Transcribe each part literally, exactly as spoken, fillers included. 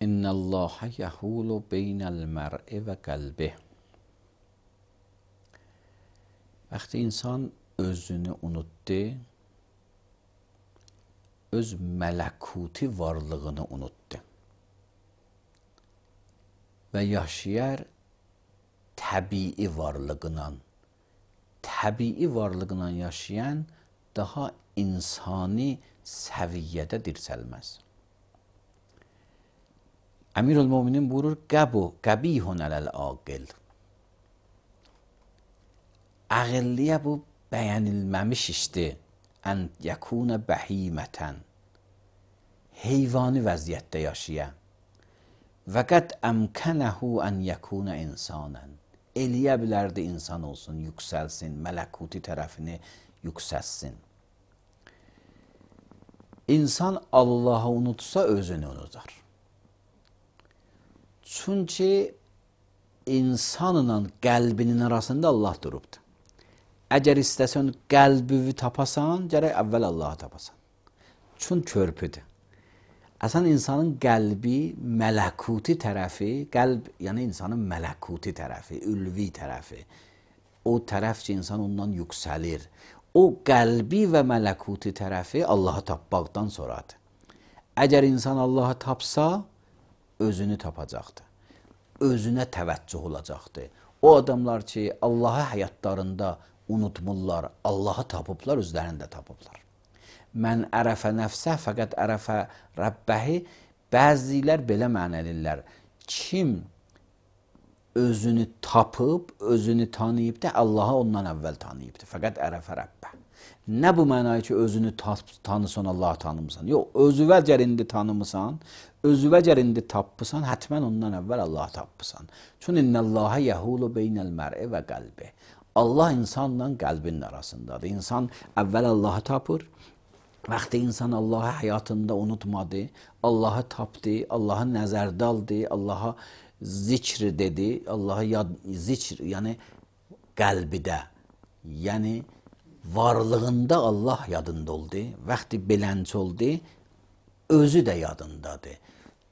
İnnallâhe yehûlu beynel mer'i ve kalbih. Vəqti insan özünü unutdu, öz mələkuti varlığını unutdu və yaşayar təbii varlığıyla, təbii varlığıyla yaşayan daha insani səviyyədə dirçəlməz. Əmirül-Müminin buyurur, qəbu, qəbihun ələl-aqil. Ağıllıya bu bəyənilməmiş işdir. Ən yəkuna bəhimətən. Heyvani vəziyyətdə yaşayan. Və qəd əmkənəhu ən yəkuna insanən. Eləyə bilərdi insan olsun, yüksəlsin, mələkuti tərəfini yüksəlsin. İnsan Allah'ı unutsa özünü unutar. Çünki insanla qəlbinin arasında Allah durubdur. Əgər istəsən qəlbini tapasan, gərək əvvəl Allah'ı tapasan. Çünki körpüdür. Əsən insanın qəlbi, mələkuti tərəfi, qəlb, yəni insanın mələkuti tərəfi, ülvi tərəfi, o tərəf ki, insan ondan yüksəlir. O qəlbi və mələkuti tərəfi Allah'ı tapmaqdan sonradır. Əgər insan Allah'ı tapsa, özünü tapacaqdır. Özünə təvəccüh olacaqdır. O adamlar ki, Allah'ı həyatlarında unutmurlar, Allah'ı tapıblar, özlərində tapıblar. Mən ərəfə nəfsə, fəqət ərəfə Rəbbəhi, bəzilər belə mənəlirlər. Kim özünü tapıb, özünü tanıyıb da, Allah'ı ondan əvvəl tanıyıbdır. Fəqət ərəfə Rəbbə. Nə bu mənayı ki, özünü tanısan, Allah'ı tanımısan? Yox, özüvə cərindi tanımısan, özüvə cərindi tapısan, hətmən ondan əvvəl Allah'ı tapısan. Çünki innəllâhe yəhulu beynəl mər'i və qəlbi. Allah insanla qəlbinin arasındadır. İnsan əvvəl Allah'ı tapır. Vaxtı insan Allah'ı həyatında unutmadı, Allah'ı tapdı, Allah'ı nəzərdə aldı, Allah'a zikr dedi, Allah'a yad, zikr, yəni qəlbidə, yəni varlığında Allah yadında oldu, vaxtı belənç oldu, özü də yadındadır.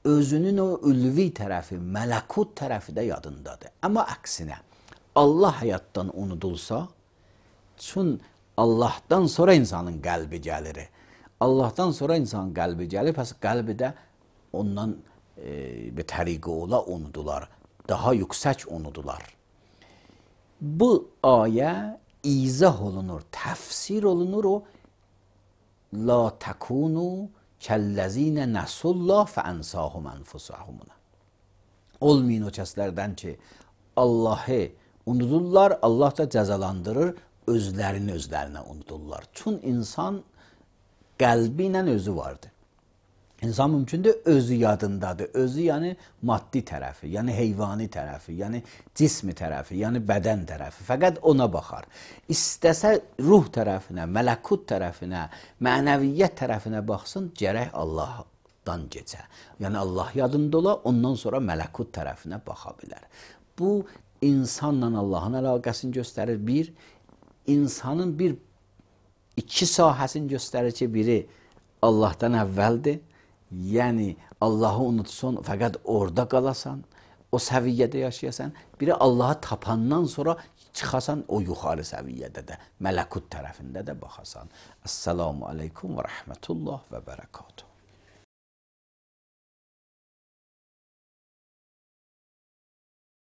Özünün o ülvi tərəfi, mələkut tərəfi də yadındadır. Amma əksinə, Allah həyatdan unudulsa, çünki Allah'tan sonra insanın qəlbi gəlir. Allah'tan sonra insanın qəlbi gəlir, pəs qəlbi də ondan e, bir təriqi ola unudular. Daha yüksək unudular. Bu ayə izah olunur, təfsir olunur o la təkunu kəlləzinə nəsullah fəənsahum ənfusahumuna. Olmayın o kəslərdən ki, Allah'ı unudurlar, Allah da cəzalandırır, özlərini özlərinə unudurlar. Çünki insan qəlbi ilə özü vardır. İnsan mümkündür özü yadındadır. Özü yəni maddi tərəfi, yəni heyvani tərəfi, yəni cismi tərəfi, yəni bədən tərəfi. Fəqət ona baxar. İstəsə ruh tərəfinə, mələkut tərəfinə, mənəviyyət tərəfinə baxsın, gərək Allahdan geçə. Yəni Allah yadında ola, ondan sonra mələkut tərəfinə baxa bilər. Bu, insanla Allahın əlaqəsini göstərir. Bir, insanın bir iki sahəsini göstərir ki, biri Allahdan əvvəldir. Yəni Allah'ı unutsun, fəqət orada qalasan, o səviyyədə yaşayasan. Biri Allah'ı tapandan sonra çıxasan o yuxarı səviyyədə də, mələkut tərəfində də baxasan. Əssalamu aleykum və rəhmətullah və bərəkatuhu.